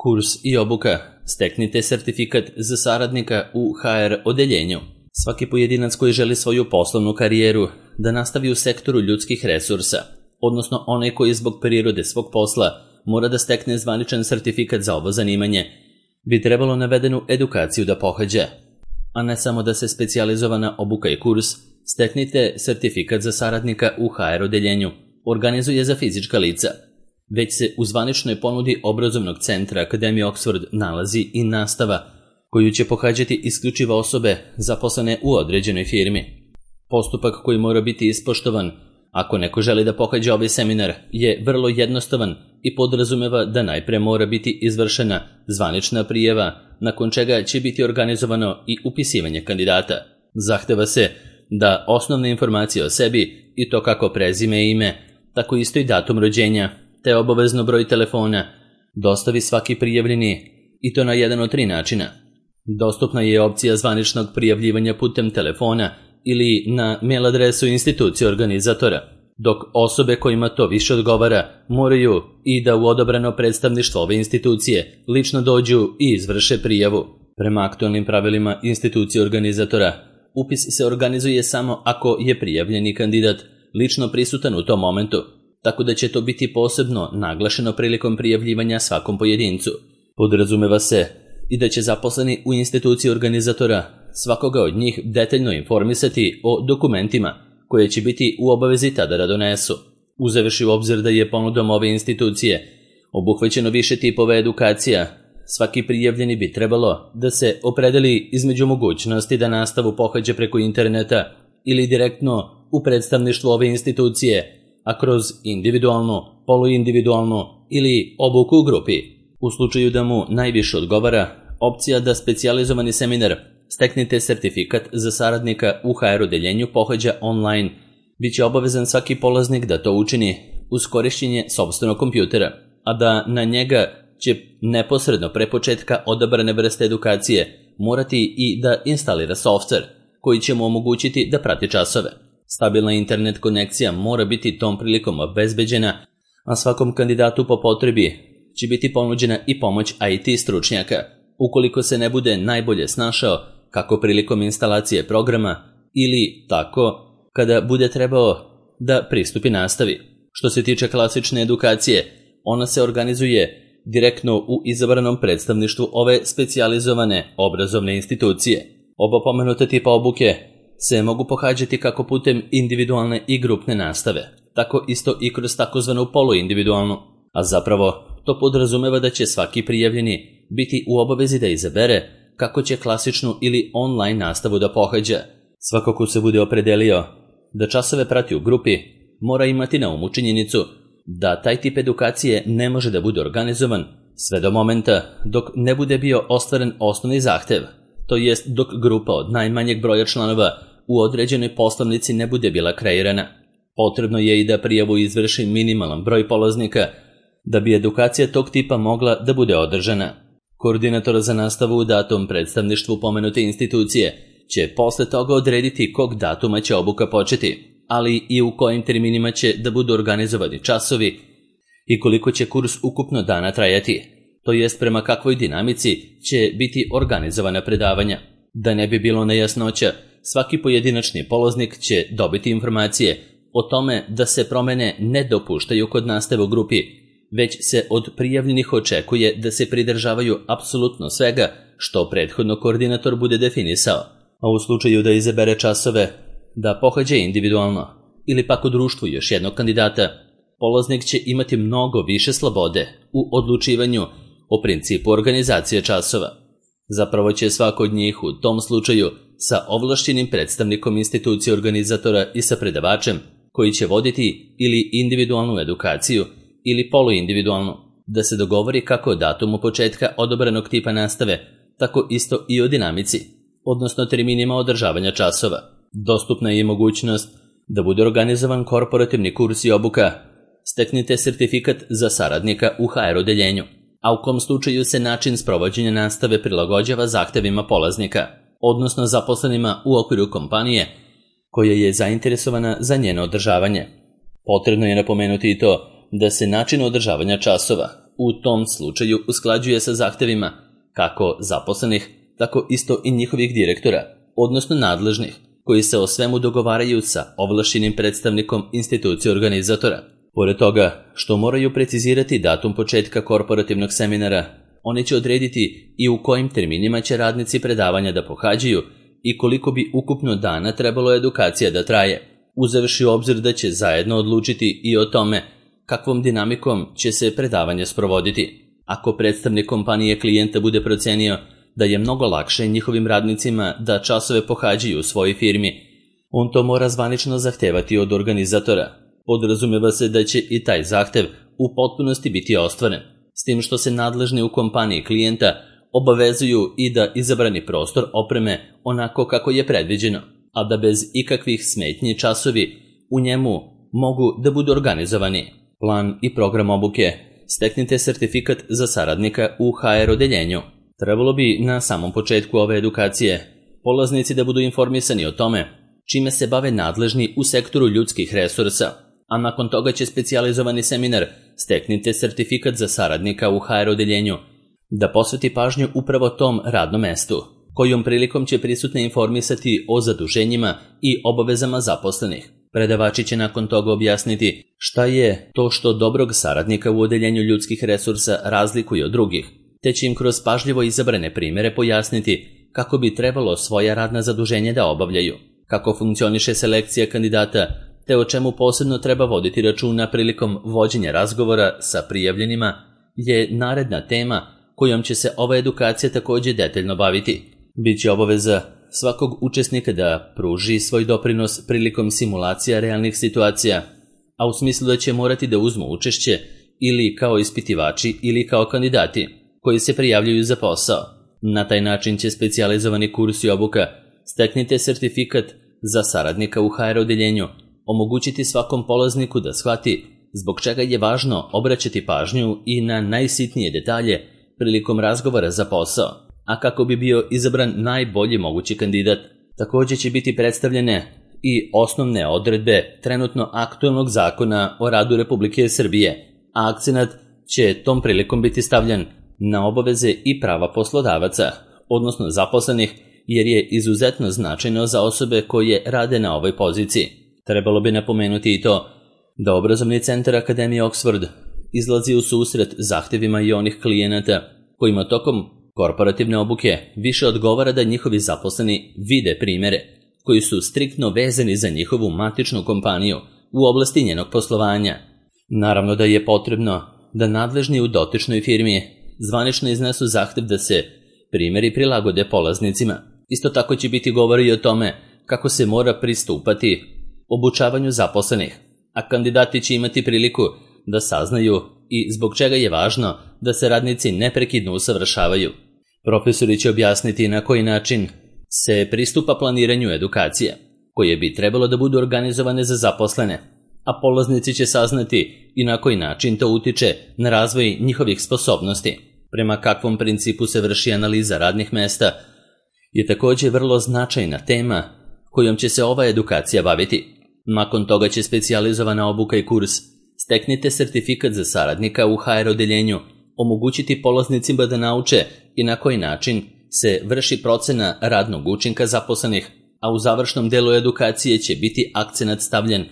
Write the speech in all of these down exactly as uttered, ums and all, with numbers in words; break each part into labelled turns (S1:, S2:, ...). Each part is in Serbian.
S1: Kurs i obuka. Steknite sertifikat za saradnika u ha er odeljenju. Svaki pojedinac koji želi svoju poslovnu karijeru da nastavi u sektoru ljudskih resursa, odnosno onaj koji zbog prirode svog posla mora da stekne zvaničan sertifikat za ovo zanimanje, bi trebalo navedenu edukaciju da pohađa, a ne samo da se specijalizovana obuka i kurs Steknite sertifikat za saradnika u ha er odeljenju organizuje za fizička lica, već se u zvaničnoj ponudi obrazovnog centra Akademije Oxford nalazi i nastava koju će pohađati isključivo osobe zaposlene u određenoj firmi. Postupak koji mora biti ispoštovan ako neko želi da pohađa ovaj seminar je vrlo jednostavan i podrazumeva da najpre mora biti izvršena zvanična prijava, nakon čega će biti organizovano i upisivanje kandidata. Zahteva se da osnovne informacije o sebi, i to kako prezime i ime, tako isto i datum rođenja, te obavezno broj telefona, dostavi svaki prijavljeni, i to na jedan od tri načina. Dostupna je opcija zvaničnog prijavljivanja putem telefona ili na mail adresu institucije organizatora, dok osobe kojima to više odgovara moraju i da u odabrano predstavništvo ove institucije lično dođu i izvrše prijavu. Prema aktualnim pravilima institucije organizatora, upis se organizuje samo ako je prijavljeni kandidat lično prisutan u tom momentu, tako da će to biti posebno naglašeno prilikom prijavljivanja svakom pojedincu. Podrazumeva se i da će zaposleni u instituciji organizatora svakoga od njih detaljno informisati o dokumentima koje će biti u obavezi tada da donesu, uzevši u obzir da je ponudom ove institucije obuhvaćeno više tipova edukacija. Svaki prijavljeni bi trebalo da se opredeli između mogućnosti da nastavu pohađa preko interneta ili direktno u predstavništvu ove institucije, a kroz individualnu, poluindividualnu ili obuku u grupi. U slučaju da mu najviše odgovara opcija da specijalizovani seminar Steknite sertifikat za saradnika u ha er odeljenju pohađa online, bit će obavezan svaki polaznik da to učini uz korišćenje sopstvenog kompjutera, a da na njega će neposredno pre početka odabrane vrste edukacije morati i da instalira softver koji će mu omogućiti da prati časove. Stabilna internet konekcija mora biti tom prilikom obezbeđena, a svakom kandidatu po potrebi će biti ponuđena i pomoć i te stručnjaka, ukoliko se ne bude najbolje snašao kako prilikom instalacije programa ili tako kada bude trebao da pristupi nastavi. Što se tiče klasične edukacije, ona se organizuje direktno u izabranom predstavništvu ove specijalizovane obrazovne institucije. Oba pomenuta tipa obuke se mogu pohađati kako putem individualne i grupne nastave, tako isto i kroz takozvanu poluindividualnu, a zapravo to podrazumeva da će svaki prijavljeni biti u obavezi da izabere kako će klasičnu ili online nastavu da pohađa. Svako ko se bude opredelio da časove prati u grupi mora imati na umu činjenicu da taj tip edukacije ne može da bude organizovan sve do momenta dok ne bude bio ostvaren osnovni zahtev, to jest dok grupa od najmanjeg broja članova u određenoj poslovnici ne bude bila kreirana. Potrebno je i da prijavu izvrši minimalan broj polaznika da bi edukacija tog tipa mogla da bude održana. Koordinator za nastavu u datom predstavništvu pomenute institucije će posle toga odrediti kog datuma će obuka početi, ali i u kojim terminima će da budu organizovani časovi i koliko će kurs ukupno dana trajati, to jest prema kakvoj dinamici će biti organizovana predavanja. Da ne bi bilo nejasnoća, svaki pojedinačni polaznik će dobiti informacije o tome da se promene ne dopuštaju kod nastave u grupi, već se od prijavljenih očekuje da se pridržavaju apsolutno svega što prethodno koordinator bude definisao, a u slučaju da izabere časove da pohađa individualno ili pak u društvu još jednog kandidata, polaznik će imati mnogo više slobode u odlučivanju o principu organizacije časova. Zapravo će svako od njih u tom slučaju sa ovlašćenim predstavnikom institucije organizatora i sa predavačem koji će voditi ili individualnu edukaciju ili poluindividualnu, da se dogovori kako o datumu početka odabranog tipa nastave, tako isto i o dinamici, odnosno terminima održavanja časova. Dostupna je mogućnost da bude organizovan korporativni kurs i obuka Steknite sertifikat za saradnika u ha er odeljenju, a u kom slučaju se način sprovođenja nastave prilagođava zahtevima polaznika, odnosno zaposlenima u okviru kompanije koja je zainteresovana za njeno održavanje. Potrebno je napomenuti i to da se način održavanja časova u tom slučaju usklađuje sa zahtevima kako zaposlenih, tako isto i njihovih direktora, odnosno nadležnih, koji se o svemu dogovaraju sa ovlašćenim predstavnikom institucije organizatora. Pored toga što moraju precizirati datum početka korporativnog seminara, oni će odrediti i u kojim terminima će radnici predavanja da pohađaju i koliko bi ukupno dana trebalo edukacija da traje, uzevši u obzir da će zajedno odlučiti i o tome kakvom dinamikom će se predavanje sprovoditi. Ako predstavnik kompanije klijenta bude procenio da je mnogo lakše njihovim radnicima da časove pohađaju u svojoj firmi, on to mora zvanično zahtevati od organizatora. Podrazumeva se da će i taj zahtev u potpunosti biti ostvaren, s tim što se nadležni u kompaniji klijenta obavezuju i da izabrani prostor opreme onako kako je predviđeno, a da bez ikakvih smetnji časovi u njemu mogu da budu organizovani. Plan i program obuke. Steknite sertifikat za saradnika u ha er odeljenju. Trebalo bi na samom početku ove edukacije polaznici da budu informisani o tome čime se bave nadležni u sektoru ljudskih resursa, a nakon toga će specijalizovani seminar Steknite sertifikat za saradnika u ha er odeljenju da posveti pažnju upravo tom radnom mestu, kojom prilikom će prisutne informisati o zaduženjima i obavezama zaposlenih. Predavači će nakon toga objasniti šta je to što dobrog saradnika u odeljenju ljudskih resursa razlikuje od drugih, te će im kroz pažljivo izabrane primere pojasniti kako bi trebalo svoja radna zaduženja da obavljaju, kako funkcioniše selekcija kandidata, te o čemu posebno treba voditi računa prilikom vođenja razgovora sa prijavljenima, je naredna tema kojom će se ova edukacija također detaljno baviti. Biće obaveza svakog učesnika da pruži svoj doprinos prilikom simulacija realnih situacija, a u smislu da će morati da uzmu učešće ili kao ispitivači ili kao kandidati koji se prijavljuju za posao. Na taj način će specijalizovani kurs i obuka Steknite sertifikat za saradnika u ha er odeljenju omogućiti svakom polazniku da shvati zbog čega je važno obraćati pažnju i na najsitnije detalje prilikom razgovora za posao, a kako bi bio izabran najbolji mogući kandidat. Također će biti predstavljene i osnovne odredbe trenutno aktualnog zakona o radu Republike Srbije, a akcenat će tom prilikom biti stavljen na obaveze i prava poslodavaca, odnosno zaposlenih, jer je izuzetno značajno za osobe koje rade na ovoj poziciji. Trebalo bi napomenuti i to da obrazovni centar Akademije Oxford izlazi u susret zahtevima i onih klijenata kojima tokom korporativne obuke više odgovara da njihovi zaposleni vide primere koji su striktno vezani za njihovu matičnu kompaniju u oblasti njenog poslovanja. Naravno da je potrebno da nadležni u dotičnoj firmi zvanično iznesu zahtev da se primeri prilagode polaznicima. Isto tako će biti govora i o tome kako se mora pristupati obučavanju zaposlenih, a kandidati će imati priliku da saznaju i zbog čega je važno da se radnici neprekidno usavršavaju. Profesori će objasniti na koji način se pristupa planiranju edukacije, koje bi trebalo da budu organizovane za zaposlene, a polaznici će saznati i na koji način to utiče na razvoj njihovih sposobnosti. Prema kakvom principu se vrši analiza radnih mesta je također vrlo značajna tema kojom će se ova edukacija baviti. Nakon toga će specijalizovana obuka i kurs Steknite sertifikat za saradnika u ha er odeljenju omogućiti polaznicima da nauče i na koji način se vrši procena radnog učinka zaposlenih, a u završnom delu edukacije će biti akcenat stavljen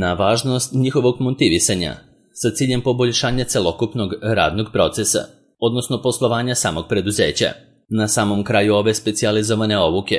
S1: na važnost njihovog motivisanja sa ciljem poboljšanja celokupnog radnog procesa, odnosno poslovanja samog preduzeća. Na samom kraju ove specijalizovane obuke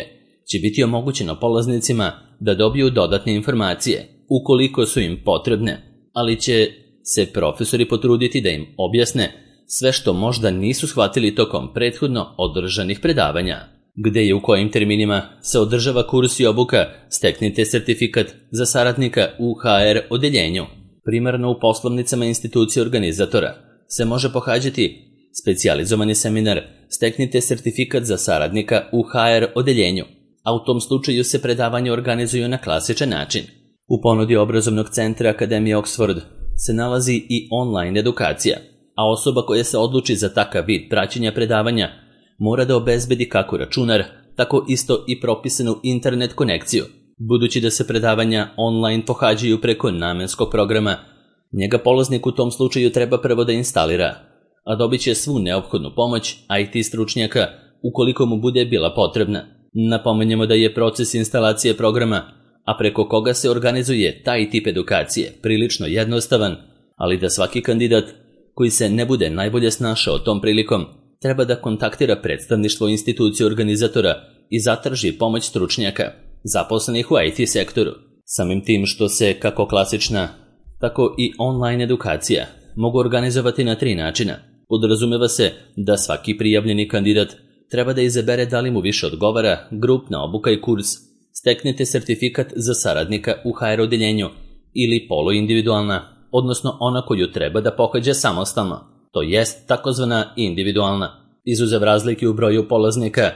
S1: će biti omogućeno polaznicima da dobiju dodatne informacije, ukoliko su im potrebne, ali će se profesori potruditi da im objasne sve što možda nisu shvatili tokom prethodno održanih predavanja. Gde i u kojim terminima se održava kurs i obuka Steknite sertifikat za saradnika u ha er odeljenju. Primarno u poslovnicama institucije organizatora se može pohađati specijalizovani seminar Steknite sertifikat za saradnika u ha er odeljenju, a u tom slučaju se predavanje organizuju na klasičan način. U ponudi obrazovnog centra Akademije Oxford se nalazi i online edukacija, a osoba koja se odluči za takav vid praćenja predavanja mora da obezbedi kako računar, tako isto i propisanu internet konekciju. Budući da se predavanja online pohađaju preko namenskog programa, njega polaznik u tom slučaju treba prvo da instalira a dobit će svu neophodnu pomoć I T stručnjaka ukoliko mu bude bila potrebna. Napomenjemo da je proces instalacije programa, a preko koga se organizuje taj tip edukacije, prilično jednostavan, ali da svaki kandidat koji se ne bude najbolje snašao tom prilikom treba da kontaktira predstavništvo institucije organizatora i zatraži pomoć stručnjaka, zaposlenih u I T sektoru. Samim tim što se kako klasična, tako i online edukacija mogu organizovati na tri načina. Podrazumeva se da svaki prijavljeni kandidat treba da izabere da li mu više odgovara grupna obuka i kurs, steknete sertifikat za saradnika u H R odeljenju ili poluindividualna, odnosno ona koju treba da pohađa samostalno, to jest takozvana individualna. Izuzev razlike u broju polaznika,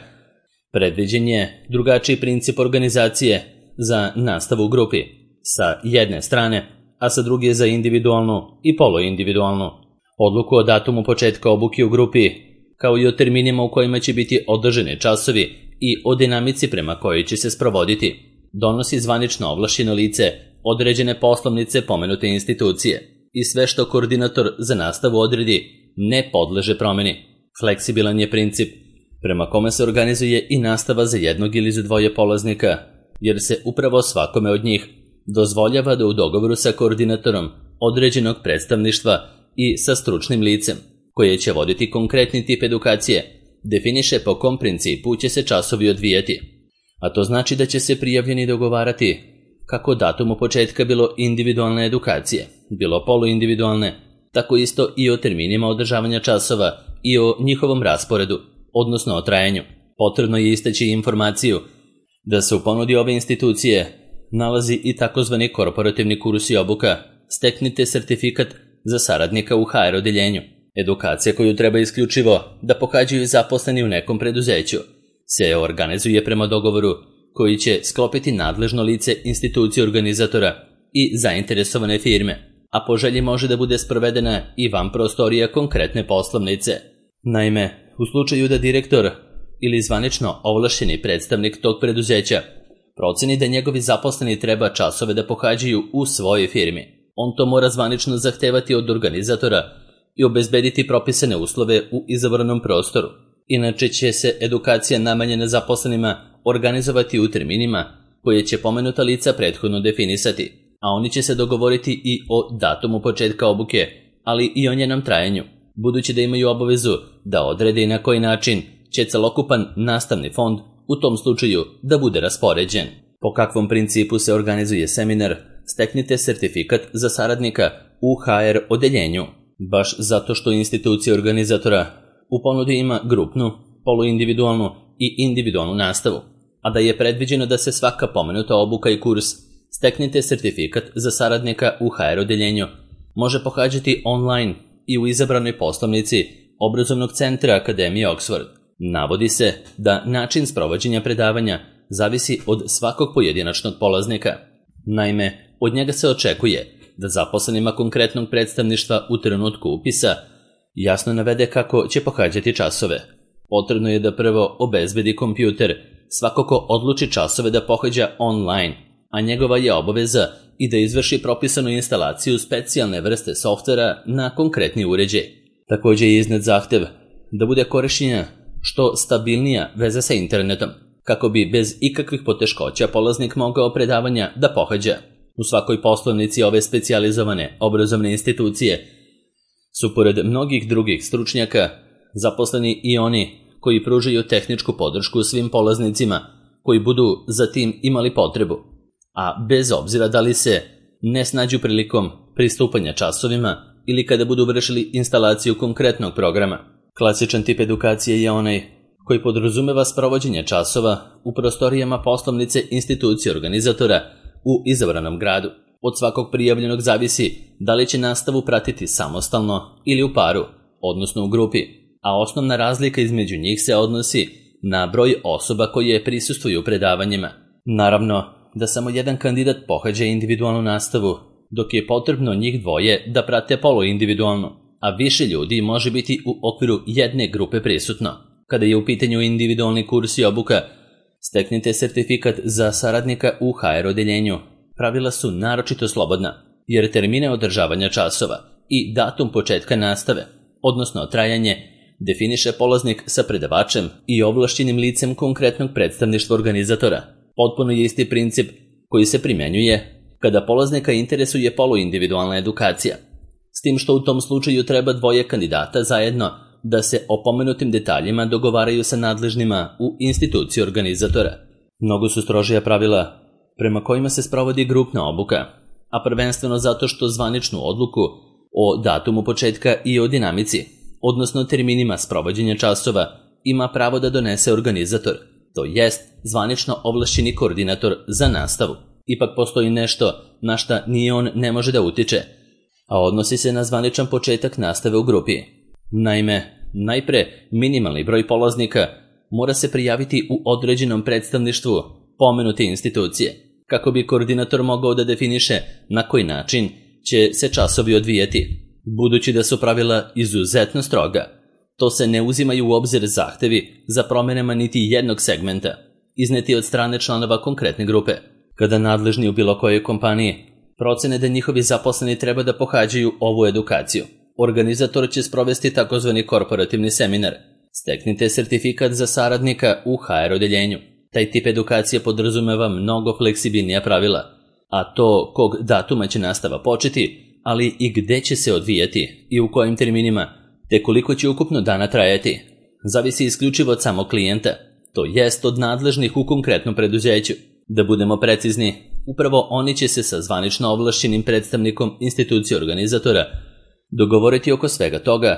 S1: predviđen je drugačiji princip organizacije za nastavu u grupi, sa jedne strane, a sa druge za individualnu i poluindividualnu. Odluku o datumu početka obuke u grupi, kao i o terminima u kojima će biti održani časovi i o dinamici prema kojoj će se sprovoditi, donosi zvanično ovlašćeno lice određene poslovnice pomenute institucije i sve što koordinator za nastavu odredi ne podleže promeni. Fleksibilan je princip prema kome se organizuje i nastava za jednog ili za dvoje polaznika, jer se upravo svakome od njih dozvoljava da u dogovoru sa koordinatorom određenog predstavništva i sa stručnim licem, koje će voditi konkretni tip edukacije, definiše po kom principu će se časovi odvijati. A to znači da će se prijavljeni dogovarati kako datumu početka bilo individualne edukacije, bilo poluindividualne, tako isto i o terminima održavanja časova i o njihovom rasporedu, odnosno o trajanju. Potrebno je istaći informaciju da se u ponudi ove institucije nalazi i takozvani korporativni kurs i obuka, steknite sertifikat za saradnika u H R odeljenju. Edukacija koju treba isključivo da pohađaju zaposleni u nekom preduzeću se organizuje prema dogovoru koji će sklopiti nadležno lice institucije organizatora i zainteresovane firme, a po želji može da bude sprovedena i van prostorija konkretne poslovnice. Naime, u slučaju da direktor ili zvanično ovlašćeni predstavnik tog preduzeća proceni da njegovi zaposleni treba časove da pohađaju u svojoj firmi, on to mora zvanično zahtevati od organizatora i obezbediti propisane uslove u izabranom prostoru. Inače će se edukacija namenjena zaposlenima organizovati u terminima koje će pomenuta lica prethodno definisati, a oni će se dogovoriti i o datumu početka obuke, ali i o njenom trajanju, budući da imaju obavezu da odrede i na koji način će celokupan nastavni fond u tom slučaju da bude raspoređen. Po kakvom principu se organizuje seminar, steknite sertifikat za saradnika u H R odeljenju. Baš zato što institucija organizatora u ponudi ima grupnu, poluindividualnu i individualnu nastavu, a da je predviđeno da se svaka pomenuta obuka i kurs steknite sertifikat za saradnika u H R odeljenju može pohađati online i u izabranoj poslovnici obrazovnog centra Akademije Oxford. Navodi se da način sprovođenja predavanja zavisi od svakog pojedinačnog polaznika. Naime, od njega se očekuje da zaposlenima konkretnog predstavništva u trenutku upisa jasno navede kako će pohađati časove. Potrebno je da prvo obezbedi kompjuter svako ko odluči časove da pohađa online, a njegova je obaveza i da izvrši propisanu instalaciju specijalne vrste softvera na konkretni uređaj. Također je iznet zahtev da bude korišćenja što stabilnija veza sa internetom, kako bi bez ikakvih poteškoća polaznik mogao predavanja da pohađa. U svakoj poslovnici ove specijalizovane obrazovne institucije su pored mnogih drugih stručnjaka zaposleni i oni koji pružaju tehničku podršku svim polaznicima koji budu za tim imali potrebu, a bez obzira da li se ne snađu prilikom pristupanja časovima ili kada budu vršili instalaciju konkretnog programa. Klasičan tip edukacije je onaj koji podrazumeva sprovođenje časova u prostorijama poslovnice institucije organizatora u izabranom gradu. Od svakog prijavljenog zavisi da li će nastavu pratiti samostalno ili u paru, odnosno u grupi, a osnovna razlika između njih se odnosi na broj osoba koje prisustvuju predavanjima. Naravno da samo jedan kandidat pohađa individualnu nastavu, dok je potrebno njih dvoje da prate poluindividualnu, a više ljudi može biti u okviru jedne grupe prisutno. Kada je u pitanju individualni kurs i obuka, steknite sertifikat za saradnika u H R odeljenju. Pravila su naročito slobodna, jer termine održavanja časova i datum početka nastave odnosno trajanje, definiše polaznik sa predavačem i ovlašćenim licem konkretnog predstavništva organizatora. Potpuno je isti princip koji se primjenjuje kada polaznika interesuje poluindividualna edukacija, s tim što u tom slučaju treba dvoje kandidata zajedno da se o pomenutim detaljima dogovaraju sa nadležnima u instituciji organizatora. Mnogo su strožija pravila prema kojima se sprovodi grupna obuka, a prvenstveno zato što zvaničnu odluku o datumu početka i o dinamici, odnosno terminima sprovođenja časova, ima pravo da donese organizator, to jest zvanično ovlašćeni koordinator za nastavu. Ipak postoji nešto na šta ni on ne može da utiče, a odnosi se na zvaničan početak nastave u grupi. Naime, najpre minimalni broj polaznika mora se prijaviti u određenom predstavništvu pomenute institucije, kako bi koordinator mogao da definiše na koji način će se časovi odvijati. Budući da su pravila izuzetno stroga, to se ne uzimaju u obzir zahtevi za promenama niti jednog segmenta, izneti od strane članova konkretne grupe. Kada nadležni u bilo kojoj kompaniji procene da njihovi zaposleni treba da pohađaju ovu edukaciju, organizator će sprovesti takozvani korporativni seminar. Steknite sertifikat za saradnika u ha er odeljenju. Taj tip edukacije podrazumeva mnogo fleksibilnija pravila, a to kog datuma će nastava početi, ali i gde će se odvijati i u kojim terminima, te koliko će ukupno dana trajati, zavisi isključivo od samog klijenta, to jest od nadležnih u konkretnom preduzeću. Da budemo precizni, upravo oni će se sa zvanično ovlašćenim predstavnikom institucije organizatora dogovoriti oko svega toga,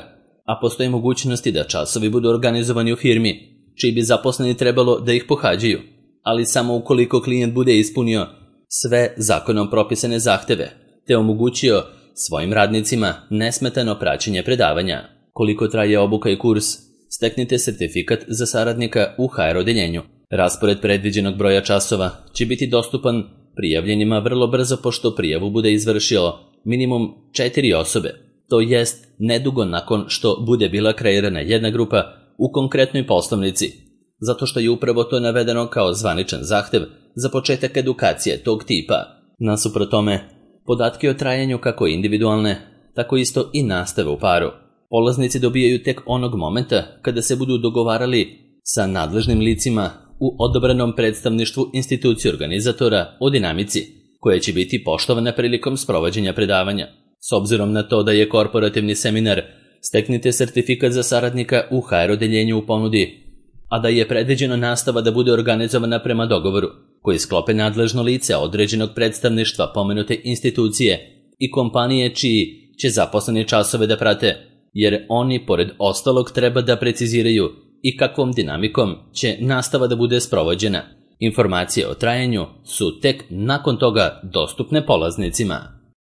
S1: a postoji mogućnosti da časovi budu organizovani u firmi, čiji bi zaposleni trebalo da ih pohađaju, ali samo ukoliko klijent bude ispunio sve zakonom propisane zahteve, te omogućio svojim radnicima nesmetano praćenje predavanja. Koliko traje obuka i kurs, steknite sertifikat za saradnika u ha er odeljenju. Raspored predviđenog broja časova će biti dostupan prijavljenima vrlo brzo pošto prijavu bude izvršilo minimum četiri osobe, to jest nedugo nakon što bude bila kreirana jedna grupa u konkretnoj poslovnici, zato što je upravo to navedeno kao zvaničan zahtev za početak edukacije tog tipa. Nasuprot tome, podatke o trajanju kako individualne, tako isto i nastave u paru polaznici dobijaju tek onog momenta kada se budu dogovarali sa nadležnim licima u odabranom predstavništvu institucije organizatora o dinamici, koja će biti poštovana prilikom sprovođenja predavanja. S obzirom na to da je korporativni seminar, steknite sertifikat za saradnika u ha er odeljenju u ponudi, a da je predviđena nastava da bude organizovana prema dogovoru koji sklope nadležno lice određenog predstavništva pomenute institucije i kompanije čiji će zaposleni časove da prate, jer oni pored ostalog treba da preciziraju i kakvom dinamikom će nastava da bude sprovođena. Informacije o trajanju su tek nakon toga dostupne polaznicima.